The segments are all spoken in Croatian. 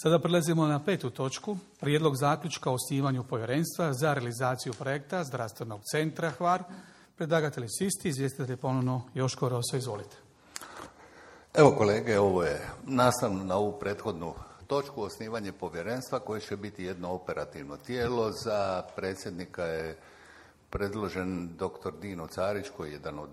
Sada prelazimo na 5. točku. Prijedlog zaključka o osnivanju povjerenstva za realizaciju projekta Zdravstvenog centra Hvar. Predlagatelji su isti, izvjestitelj je ponovno Joško Roso, izvolite. Evo kolege, ovo je nastavno na ovu prethodnu točku, osnivanje povjerenstva koje će biti jedno operativno tijelo. Za predsjednika je predložen dr. Dino Carić, koji je jedan od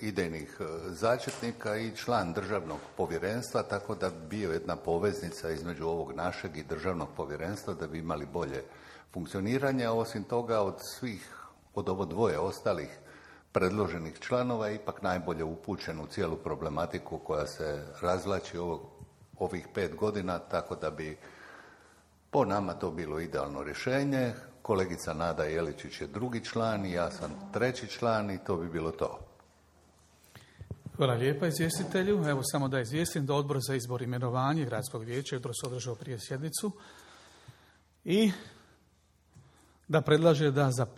idejnih začetnika i član državnog povjerenstva, tako da bi bio jedna poveznica između ovog našeg i državnog povjerenstva da bi imali bolje funkcioniranje. A osim toga, od ovo dvoje ostalih predloženih članova je ipak najbolje upućen u cijelu problematiku koja se razvlači ovih 5 godina, tako da bi po nama to bilo idealno rješenje. Kolegica Nada Jeličić je 2. član i ja sam 3. član i to bi bilo to. Hvala lijepa izvjestitelju. Evo samo da izvijestim da Odbor za izbor i imenovanje Gradskog vijeća jutros održao prije sjednicu i da predlaže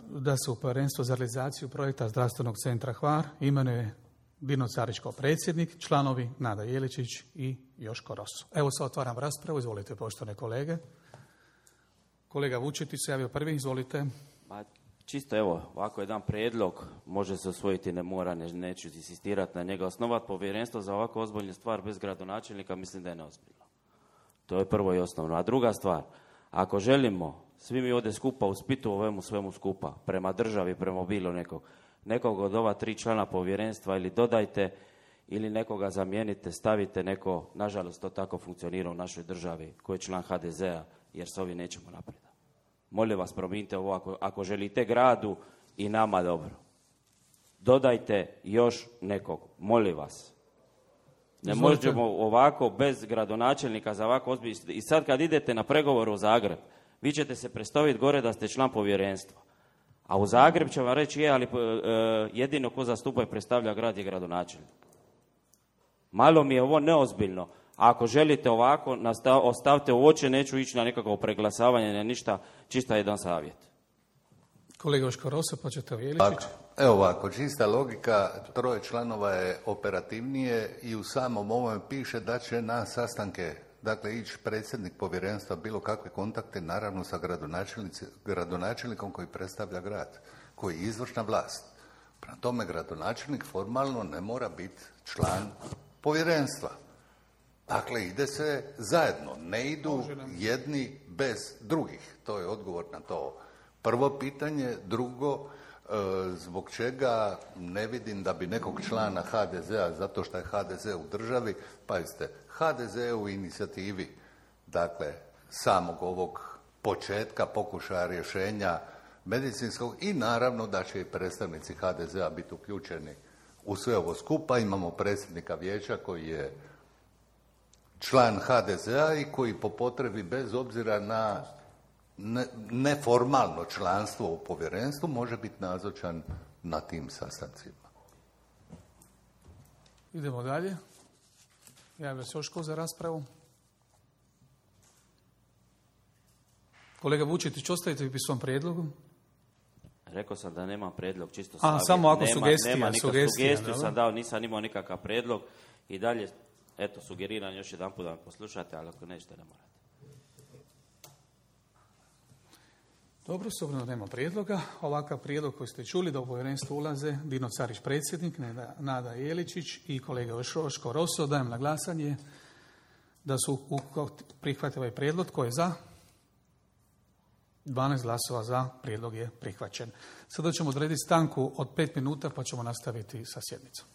da se u povjerenstvo za realizaciju projekta Zdravstvenog centra Hvar imenuje Dino Carić kao predsjednik, članovi Nada Jeličić i Joško Roso. Evo sad otvaram raspravu, izvolite poštovane kolege. Kolega Vučetić se javio prvi, izvolite. Čisto evo, ovako jedan prijedlog, može se usvojiti, ne mora, neću insistirati na njega. Osnovati povjerenstvo za ovako ozbiljnu stvar bez gradonačelnika mislim da je neozbiljno. To je prvo i osnovno. A druga stvar, ako želimo svi mi ovdje skupa u Splitu ovemu svemu skupa, prema državi, prema bilo nekog od ova 3 člana povjerenstva ili dodajte ili nekoga zamijenite, stavite neko, nažalost to tako funkcionira u našoj državi, koji je član HDZ-a, jer s ovim nećemo naprijed. Molim vas, promijenite ovo ako želite gradu i nama dobro. Dodajte još nekog, molim vas. Ne možemo ovako bez gradonačelnika za ovako ozbiljno. I sad kad idete na pregovor u Zagreb, vi ćete se predstaviti gore da ste član povjerenstva. A u Zagreb će vam reći ali jedino ko zastupa i predstavlja grad je gradonačelnik. Malo mi je ovo neozbiljno. Ako želite ovako, ostavite uoče, neću ići na nekakvo preglasavanje, na ništa, čista jedan savjet. Kolega Joško Roso, pa ćete Jeličić. Evo ovako, čista logika, 3 članova je operativnije i u samom ovome piše da će na sastanke, dakle, ići predsjednik povjerenstva, bilo kakve kontakte, naravno sa gradonačelnikom koji predstavlja grad, koji je izvršna vlast. Prema tome, gradonačelnik formalno ne mora biti član povjerenstva. Dakle, ide se zajedno, ne idu jedni bez drugih. To je odgovor na to prvo pitanje. Drugo, zbog čega ne vidim da bi nekog člana HDZ-a, zato što je HDZ u državi, pazite, HDZ je u inicijativi, dakle, samog ovog početka pokušaja rješenja medicinskog i naravno da će i predstavnici HDZ-a biti uključeni u sve ovo skupa. Imamo predsjednika vijeća koji je član HDZ-a i koji po potrebi, bez obzira na neformalno članstvo u povjerenstvu, može biti nazočan na tim sastancima. Idemo dalje. Javlja se Joško za raspravu. Kolega Vučetić, ostajete pri svom prijedlogu? Rekao sam da nemam prijedlog, čisto savjet. Samo ako sugestiju sam dao, nisam imao nikakav prijedlog i dalje, eto, sugeriram još jedan put da me poslušate, ali ako nećete, ne morate. Dobro, s obzirom da nema prijedloga, ovakav prijedlog koji ste čuli da u povjerenstvo ulaze Dino Carić predsjednik, Nada Jeličić i kolega Joško Roso, dajem na glasanje da su prihvatili ovaj prijedlog. Tko je za? 12 glasova za, prijedlog je prihvaćen. Sada ćemo odrediti stanku od 5 minuta pa ćemo nastaviti sa sjednicom.